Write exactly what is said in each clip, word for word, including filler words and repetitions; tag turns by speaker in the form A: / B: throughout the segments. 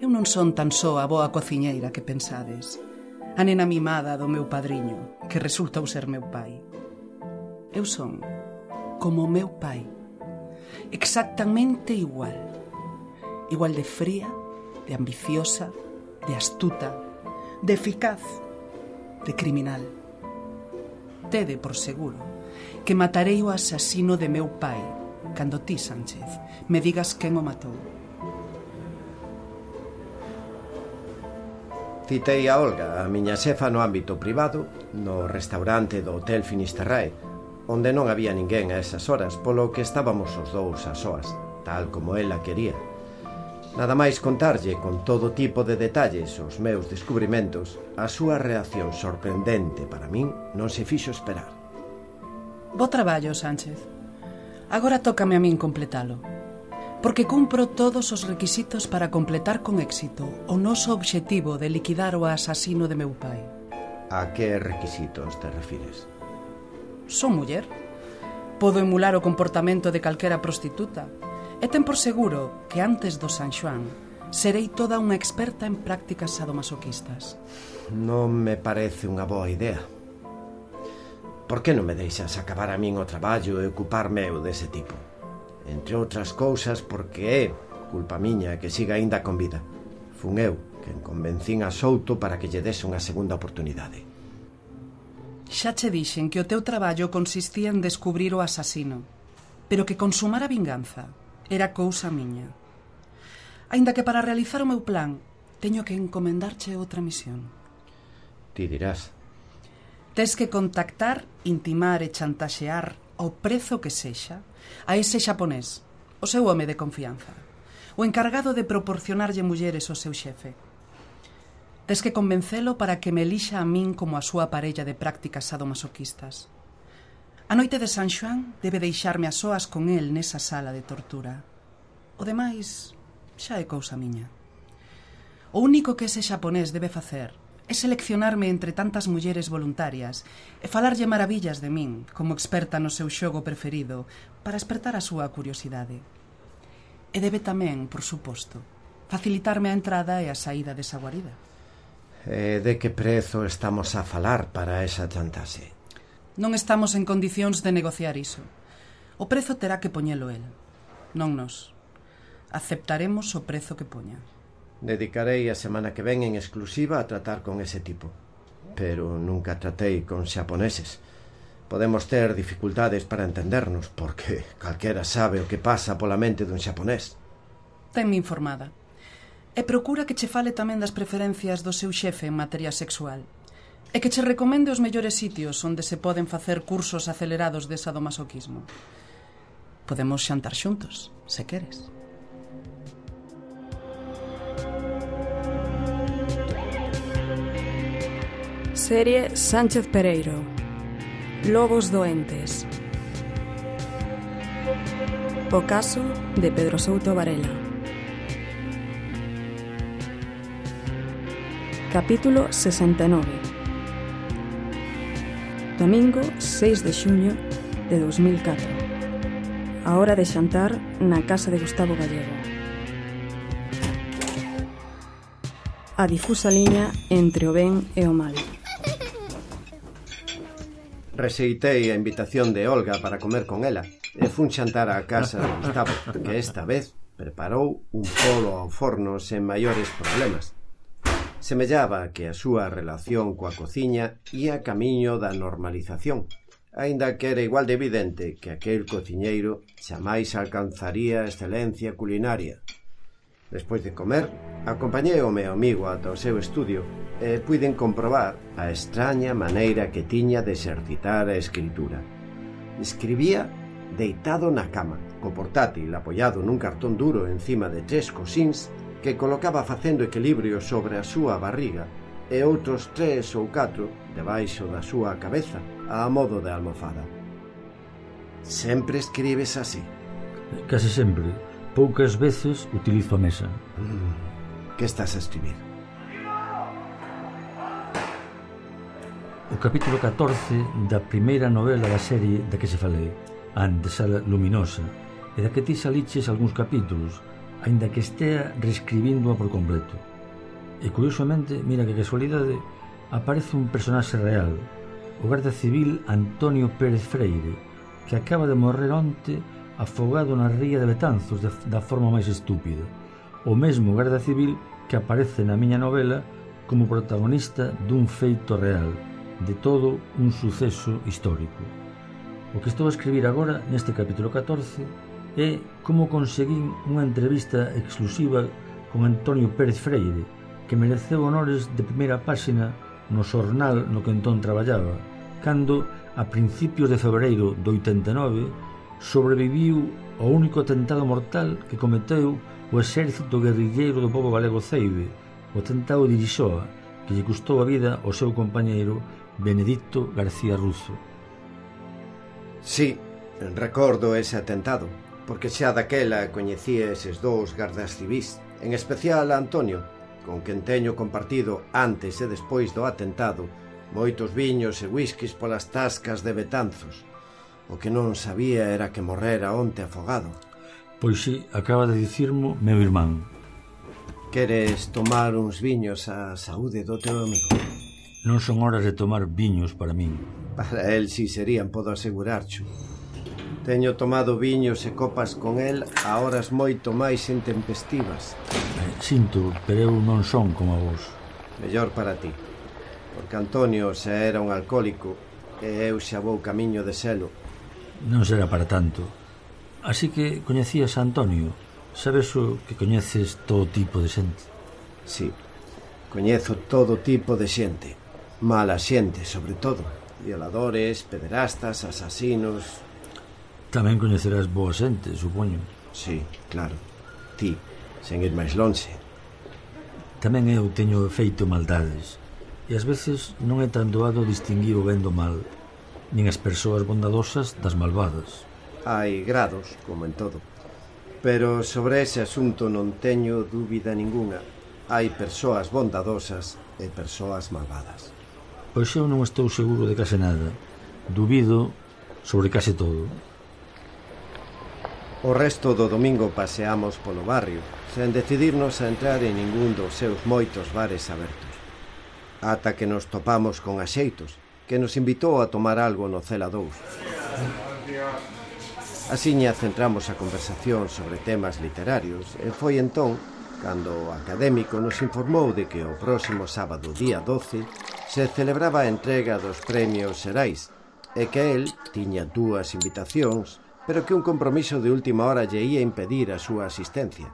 A: Eu non son tan só a boa cociñeira que pensades, a nena mimada do meu padriño, que resultou ser meu pai. Eu son como o meu pai, exactamente igual. Igual de fría, de ambiciosa, de astuta, de eficaz, de criminal. Tede por seguro que matarei o asasino de meu pai cando ti, Sánchez, me digas quen o matou.
B: Citei a Olga, a miña xefa no ámbito privado, no restaurante do Hotel Finisterrae, onde non había ninguén a esas horas, polo que estábamos os dous a soas, tal como ela quería. Nada máis contarlle con todo tipo de detalles os meus descubrimentos, a súa reacción sorprendente para min non se fixo esperar.
A: Bo traballo, Sánchez. Agora tócame a min completalo, porque cumpro todos os requisitos para completar con éxito o noso obxectivo de liquidar o asasino de meu pai.
B: A que requisitos te refires?
A: Son muller. Podo emular o comportamento de calquera prostituta. E ten por seguro que antes do San Xoán serei toda unha experta en prácticas sadomasoquistas.
B: Non me parece unha boa idea. Por que non me deixas acabar a min o traballo e ocuparme eu dese tipo? Entre outras cousas porque é culpa miña que siga aínda con vida. Fun eu quen convencín a Souto para que lle dese unha segunda oportunidade.
A: Xa che dixen que o teu traballo consistía en descubrir o asasino, pero que consumar a vinganza era cousa miña. Aínda que para realizar o meu plan teño que encomendarche outra misión.
B: Ti dirás.
A: Tes que contactar, intimar e chantaxear ao prezo que sexa a ese xaponés, o seu home de confianza, o encargado de proporcionarlle mulleres ao seu xefe. Tes que convencelo para que me elixa a min como a súa parella de prácticas sadomasoquistas. A noite de San Xoán debe deixarme a soas con el nesa sala de tortura. O demais xa é cousa miña. O único que ese xaponés debe facer é seleccionarme entre tantas mulleres voluntarias e falarlle maravillas de min como experta no seu xogo preferido para espertar a súa curiosidade. E debe tamén, por suposto, facilitarme a entrada e a saída desa guarida.
B: E de que prezo estamos a falar para esa chantaxe?
A: Non estamos en condicións de negociar iso. O prezo terá que poñelo el, non nos. Aceptaremos o prezo que poña.
B: Dedicarei a semana que ven en exclusiva a tratar con ese tipo. Pero nunca tratei con xaponeses. Podemos ter dificultades para entendernos, porque calquera sabe o que pasa pola mente dun xaponés.
A: Tenme informada. E procura que che fale tamén das preferencias do seu xefe en materia sexual. E que che recomende os mellores sitios onde se poden facer cursos acelerados de sadomasoquismo. Podemos xantar xuntos, se queres.
C: Serie Sánchez Pereiro. Lobos doentes. O caso de Pedro Souto Varela. Capítulo sesenta e nove. Domingo seis de xuño de dos mil catro. A hora de xantar na casa de Gustavo Gallego. A difusa liña entre o ben e o mal.
B: Rexeitei a invitación de Olga para comer con ela e fun xantar á casa de Gustavo, que esta vez preparou un polo ao forno sen maiores problemas. Semellaba que a súa relación coa cociña ia camiño da normalización, aínda que era igual de evidente que aquel cociñeiro xamais alcanzaría a excelencia culinaria. Despois de comer, acompañei o meu amigo ata o seu estudio e puiden comprobar a extraña maneira que tiña de exercitar a escritura. Escribía deitado na cama, co portátil apoiado nun cartón duro encima de tres cosíns que colocaba facendo equilibrio sobre a súa barriga e outros tres ou catro debaixo da súa cabeza a modo de almofada. Sempre escribes así?
D: Case sempre. Poucas veces utilizo a mesa.
B: Mm, que estás a escribir?
D: O capítulo catorce da primeira novela da serie da que se falei, A Antesala Luminosa, e da que ti saliches algúns capítulos, aínda que estea reescribíndoa por completo. E, curiosamente, mira que casualidade, aparece un personaxe real, o garda civil Antonio Pérez Freire, que acaba de morrer onte afogado na ría de Betanzos de, da forma máis estúpida. O mesmo garda civil que aparece na miña novela como protagonista dun feito real, de todo un suceso histórico. O que estou a escribir agora neste capítulo catorce é como conseguín unha entrevista exclusiva con Antonio Pérez Freire, que mereceu honores de primeira páxina no xornal no que entón traballaba, cando, a principios de febreiro do oitenta e nove, sobreviviu ao único atentado mortal que cometeu o exército guerrilleiro do pobo galego Ceibe, o atentado de Irixoa, que lle custou a vida ao seu compañeiro Benedicto García Ruzo.
B: Sí, recordo ese atentado, porque xa daquela coñecía eses dous gardas civís, en especial a Antonio, con quen teño compartido antes e despois do atentado moitos viños e whiskies polas tascas de Betanzos. O que non sabía era que morrera onte afogado.
D: Pois si, acaba de dicirmo meu irmán.
B: Queres tomar uns viños á saúde do teu amigo?
D: Non son horas de tomar viños para min.
B: Para el si serían, podo asegurarcho. Teño tomado viños e copas con el a horas moito máis intempestivas.
D: Eh, sinto, pero eu non son como vos.
B: Mellor para ti, porque Antonio xa era un alcohólico e eu xa vou camiño de selo.
D: Non será para tanto. Así que coñecías a Antonio. Sabes o que coñeces todo tipo de xente?
B: Sí, coñezo todo tipo de xente. Mala xente, sobre todo. Violadores, pederastas, asasinos...
D: Tamén coñecerás boa xente, supoño.
B: Sí, claro. Ti, sen ir máis lonxe.
D: Tamén eu teño feito maldades, e ás veces non é tan doado distinguir o ben do mal, nin as persoas bondadosas das malvadas.
B: Hai grados, como en todo. Pero sobre ese asunto non teño dúbida ningunha. Hai persoas bondadosas e persoas malvadas.
D: Pois eu non estou seguro de case nada. Dubido sobre case todo.
B: O resto do domingo paseamos polo barrio, sen decidirnos a entrar en ningún dos seus moitos bares abertos. Ata que nos topamos con Axeitos, que nos invitou a tomar algo no Cela dous. Asiña centramos a conversación sobre temas literarios e foi entón cando o académico nos informou de que o próximo sábado día doce se celebraba a entrega dos premios Xerais e que el tiña dúas invitacións, pero que un compromiso de última hora lle ia impedir a súa asistencia.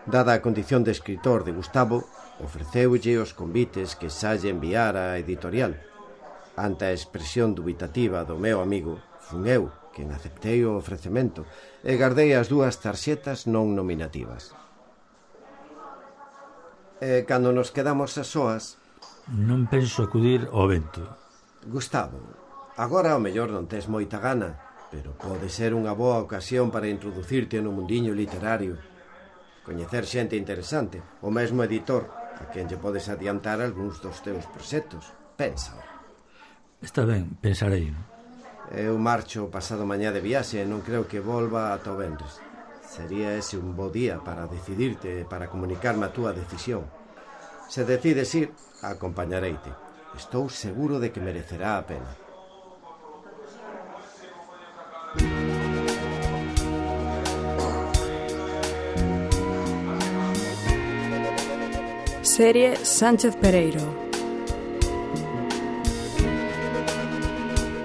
B: Dada a condición de escritor de Gustavo, ofreceulle os convites que xa lle enviara a editorial. Ante a expresión dubitativa do meu amigo, fun eu quen aceptei o ofrecemento e gardei as dúas tarxetas non nominativas. E cando nos quedamos a soas...
D: Non penso acudir ao evento.
B: Gustavo, agora ao mellor non tes moita gana, pero pode ser unha boa ocasión para introducirte no mundiño literario. Coñecer xente interesante, o mesmo editor, a quen lle podes adiantar algúns dos teus proxectos. Pensa.
D: Está ben, pensarei.
B: Eu marcho pasado mañá de viaxe e non creo que volva ata o venres. Sería ese un bo día para decidirte, para comunicarme a túa decisión. Se decides ir, acompañareite. Estou seguro de que merecerá a pena.
C: Serie Sánchez Pereiro.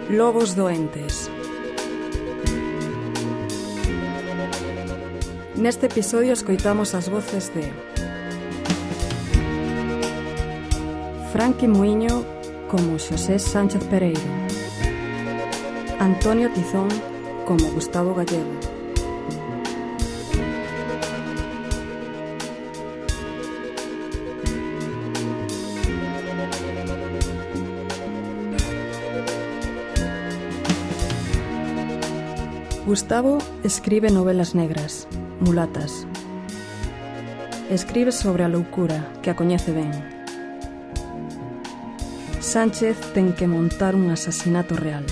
C: Lobos doentes. Neste episodio escoitamos as voces de Franqui Muiño como Xosé Sánchez Pereiro, Antonio Tizón como Gustavo Gallego, Gustavo escribe novelas negras, mulatas. Escribe sobre a loucura, que a coñece ben. Sánchez ten que montar un asasinato real.